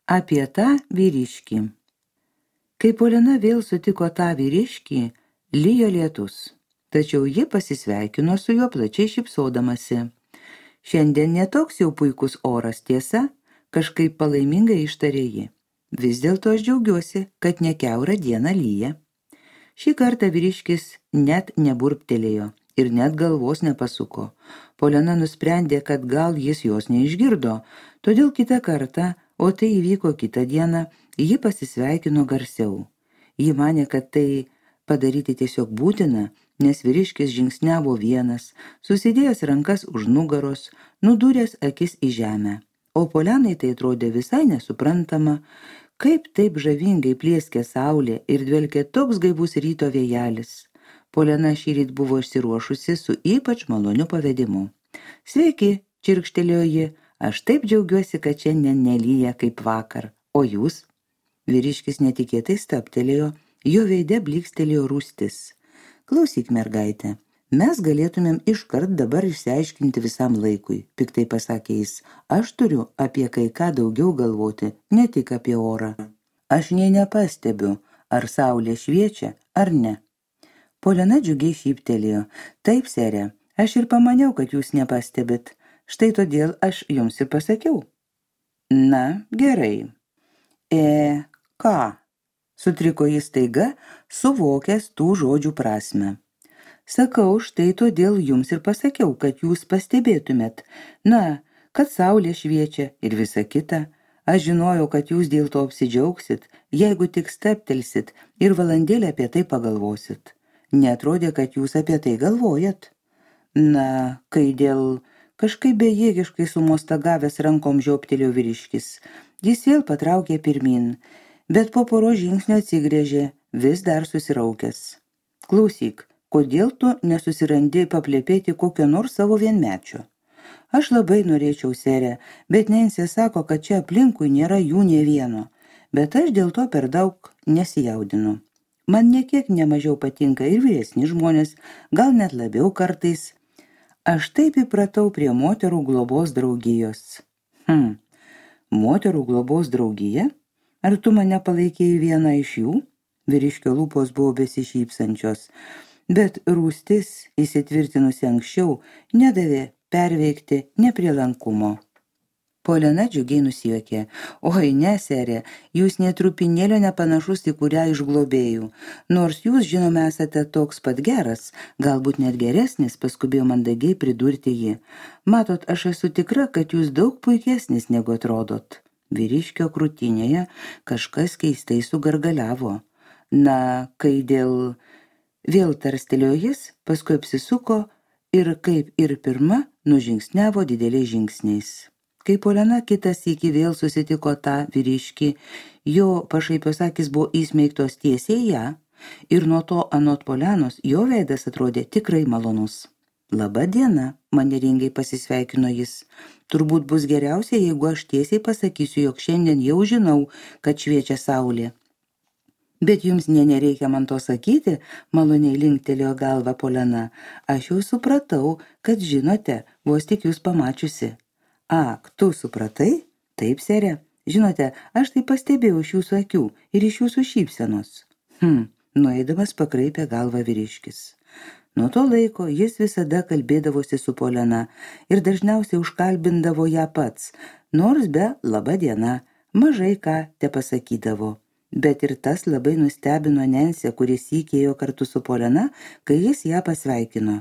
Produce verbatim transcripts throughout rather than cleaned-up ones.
Apie tą vyriškį. Kai Polina vėl sutiko tą vyriškį, lijo lietus, tačiau ji pasisveikino su juo plačiai šypsodamasi. Šiandien netoks jau puikus oras, tiesa, kažkaip palaimingai ištarė ji. Vis dėlto aš džiaugiuosi, kad ne kiaurą dieną lyja. Šį kartą vyriškis net neburptelėjo ir net galvos nepasuko. Polina nusprendė, kad gal jis jos neišgirdo, todėl kitą kartą, o tai įvyko kitą dieną, ji pasisveikino garsiau. Ji manė, kad tai padaryti tiesiog būtina, nes vyriškis žingsniavo vienas, susidėjęs rankas už nugaros, nudūręs akis į žemę. O Polenai tai atrodė visai nesuprantama, kaip taip žavingai plieskė saulė ir dvelkė toks gaivus ryto vėjelis. Polena šįryt buvo išsiruošusi su ypač maloniu pavedimu. Sveiki, čirkštelėjo ji, aš taip džiaugiuosi, kad šiandien nelyja kaip vakar. O jūs? Vyriškis netikėtai stabtelėjo, jo veide blykstelėjo rūstis. Klausyk, mergaitė, mes galėtumėm iškart dabar išsiaiškinti visam laikui, piktai pasakė jis. Aš turiu apie kai ką daugiau galvoti, ne tik apie orą. Aš nė nepastebiu, ar saulė šviečia, ar ne. Polina džiugiai šyptelėjo. Taip, sere, aš ir pamaniau, kad jūs nepastebit. Štai todėl aš jums ir pasakiau. Na, gerai. E, ką? Sutriko jis staiga, suvokęs tų žodžių prasmę. Sakau, štai todėl jums ir pasakiau, kad jūs pastebėtumėt. Na, kad saulė šviečia ir visa kita. Aš žinojau, kad jūs dėl to apsidžiaugsit, jeigu tik steptelsit ir valandėlę apie tai pagalvosit. Neatrodė, kad jūs apie tai galvojat. Na, kai dėl... Kažkaip bejėgiškai sumostagavęs rankom žioptelėjo vyriškis. Jis vėl patraukė pirmin, bet po poros žingsnio atsigrėžė, vis dar susiraukęs. Klausyk, kodėl tu nesusirandi paplėpėti kokio nors savo vienmečio? Aš labai norėčiau, sere, bet Nensė sako, kad čia aplinkui nėra jų nė vieno, bet aš dėl to per daug nesijaudinu. Man niekiek nemažiau patinka ir vyresni žmonės, gal net labiau kartais. Aš taip įpratau prie moterų globos draugijos. Hm, moterų globos draugija? Ar tu mane palaikėjai vieną iš jų? Vyriškio lūpos buvo besišypsančios, bet rūstis, įsitvirtinusi anksčiau, nedavė perveikti neprielankumo. Polena džiugiai nusijuokė. Oi, ne, serė, jūs netrupinėlio nepanašus į kurią iš globėjų. Nors jūs, žinome, esate toks pat geras, galbūt net geresnis, paskubėjo mandagiai pridurti ji. Matot, aš esu tikra, kad jūs daug puikesnis negu atrodot. Vyriškio krūtinėje kažkas keistai sugargaliavo. Na, kai dėl... Vėl tarstelėjo jis, paskui apsisuko ir kaip ir pirma nužingsniavo dideliais žingsniais. Kai Polena kitas iki vėl susitiko tą vyriškį, jo pašaipios akis buvo įsmeigtos tiesiai ją ir nuo to anot Polenos jo veidas atrodė tikrai malonus. Labą dieną, manieringai pasisveikino jis. Turbūt bus geriausia, jeigu aš tiesiai pasakysiu, jog šiandien jau žinau, kad šviečia saulė. Bet jums nė nereikia man to sakyti, maloniai linktelėjo galvą Polena. Aš jau supratau, kad žinote, vos tik jūs pamačiusi. Ak, tu supratai? Taip, sere. Žinote, aš tai pastebėjau iš jūsų akių ir iš jūsų šypsenos. Hm, nueidamas pakraipė galvą vyriškis. Nuo to laiko jis visada kalbėdavosi su Polena ir dažniausiai užkalbindavo ją pats, nors be laba diena, mažai ką te pasakydavo. Bet ir tas labai nustebino Nensę, kuris įkėjo kartu su Polena, kai jis ją pasveikino.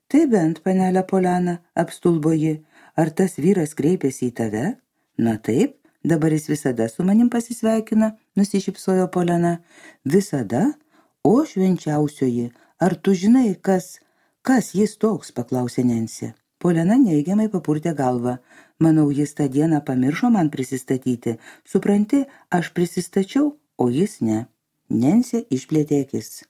Tai bent, panelė Polena, apstulbo ji. Ar tas vyras kreipėsi į tave? Na taip, dabar jis visada su manim pasisveikina, nusišypsojo Polena. Visada? O švenčiausioji, ar tu žinai, kas, kas jis toks, paklausė Nensė. Polena neigiamai papurtė galvą. Manau, jis tą dieną pamiršo man prisistatyti. Supranti, aš prisistačiau, o jis ne. Nensė išplėtė akis.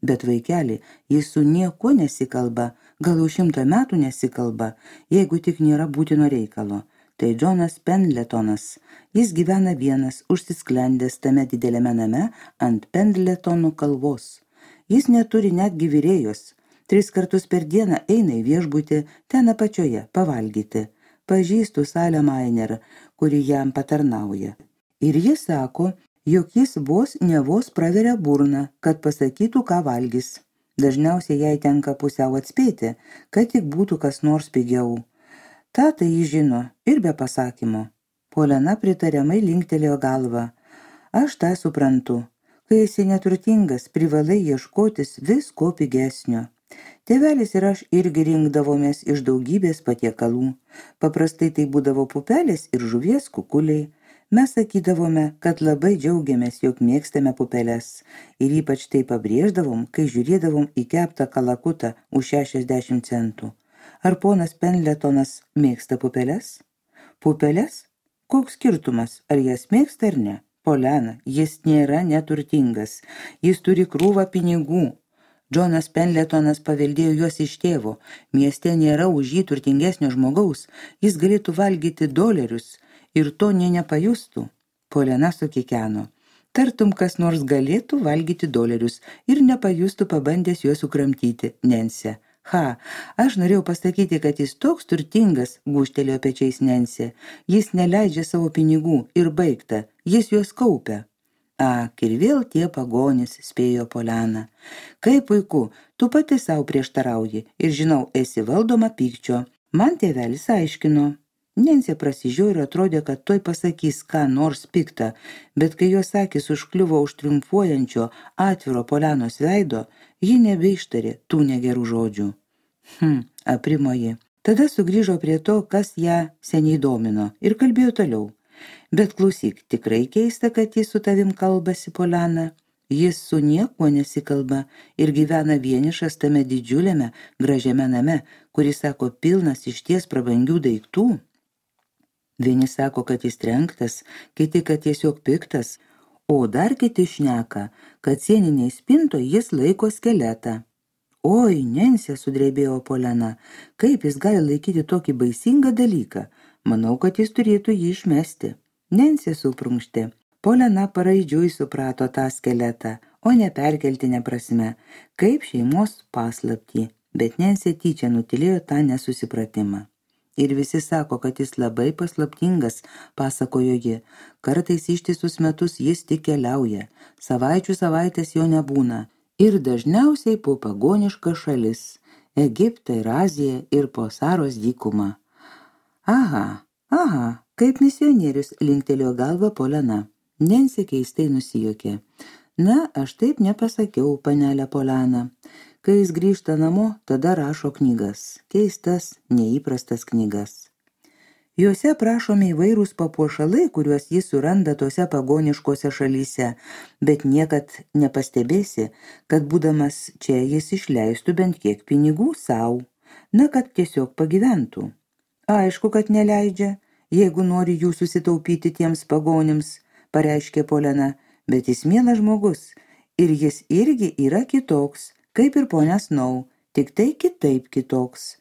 Bet vaikeli, jis su niekuo nesikalba, gal jau šimtą metų nesikalba, jeigu tik nėra būtino reikalo. Tai Džonas Pendletonas. Jis gyvena vienas, užsisklendęs tame dideliame name ant Pendletonų kalvos. Jis neturi netgi virėjos. Tris kartus per dieną eina į viešbutį, ten apačioje, pavalgyti. Pažįstu Salę Mainer, kuri jam patarnauja. Ir jis sako, jog jis vos ne vos praveria burną, kad pasakytų, ką valgys. Dažniausiai jai tenka pusiau atspėti, kad tik būtų kas nors pigiau. Ta tai jis žino ir be pasakymo. Polena pritariamai linktelėjo galvą. Aš tą suprantu. Kai esi neturtingas, privalai ieškotis visko pigesnio. Tėvelis ir aš irgi rinkdavomės iš daugybės patiekalų. Paprastai tai būdavo pupelės ir žuvies kukuliai. Mes sakydavome, kad labai džiaugiamės, jog mėgstame pupeles. Ir ypač tai pabrėždavom, kai žiūrėdavom į keptą kalakutą už šešiasdešimt centų. Ar ponas Pendletonas mėgsta pupeles? Pupeles? Koks skirtumas, ar jas mėgsta ar ne? Polena, jis nėra neturtingas. Jis turi krūvą pinigų. Džonas Pendletonas paveldėjo juos iš tėvo. Mieste nėra už jį turtingesnio žmogaus. Jis galėtų valgyti dolerius ir to nė nepajustų. Polena sukikeno. Tartum, kas nors galėtų valgyti dolerius ir nepajustų pabandęs juos sukramtyti, Nensė. Ha, aš norėjau pasakyti, kad jis toks turtingas, gūžtelėjo pečiais Nensė. Jis neleidžia savo pinigų ir baigta, jis juos kaupia. Ak, ir vėl tie pagonys, spėjo Polena. Kaip puiku, tu pati savo prieštarauji ir žinau, esi valdoma pykčio. Man tėvelis aiškino. Nensė prasižiūrė ir atrodė, kad tuoj pasakys ką nors piktą, bet kai jos akys užkliuvo už triumfuojančio atviro Polenos veido, ji nebeištarė tų negerų žodžių. Hm, aprimo ji. Tada sugrįžo prie to, kas ją seniai domino ir kalbėjo toliau. Bet klausyk, tikrai keista, kad jis su tavim kalbasi, Polena. Jis su niekuo nesikalba ir gyvena vienišas tame didžiuliame, gražiame name, kuris, sako, pilnas išties prabangių daiktų. Vieni sako, kad jis trenktas, kiti, kad tiesiog piktas, o dar kiti šneka, kad sieniniai spintoje jis laiko skeletą. Oi, Nensė, sudrebėjo Polena, kaip jis gali laikyti tokį baisingą dalyką? Manau, kad jis turėtų jį išmesti. Nensė suprunkštė. Polena paraidžiui suprato tą skeletą, o ne perkeltinę prasme, kaip šeimos paslaptį, bet Nensė tyčia nutilėjo tą nesusipratimą. Ir visi sako, kad jis labai paslaptingas, pasakojo ji. Kartais ištisus metus jis tik keliauja, savaičių savaitės jo nebūna. Ir dažniausiai po pagonišką šalis – Egiptą ir Aziją ir po Saros dykumą. Aha, aha, kaip misionierius, linktelėjo galvą Polena. Nensė keistai nusijuokė. Na, aš taip nepasakiau, panelė Polena. Kai jis grįžta namo, tada rašo knygas. Keistas, neįprastas knygas. Juose prašomi įvairūs papuošalai, kuriuos jis suranda tose pagoniškose šalyse, bet niekad nepastebėsi, kad būdamas čia jis išleistų bent kiek pinigų sau, na, kad tiesiog pagyventų. Aišku, kad neleidžia, jeigu nori jų susitaupyti tiems pagonims, pareiškė Polena, bet jis mielas žmogus ir jis irgi yra kitoks, kaip ir ponia Snow, tik tai kitaip kitoks.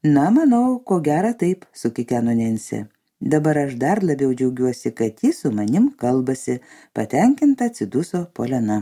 Na, manau, ko gera taip, sukikeno Nensė. Dabar aš dar labiau džiaugiuosi, kad jis su manim kalbasi, patenkinta atsiduso Polena.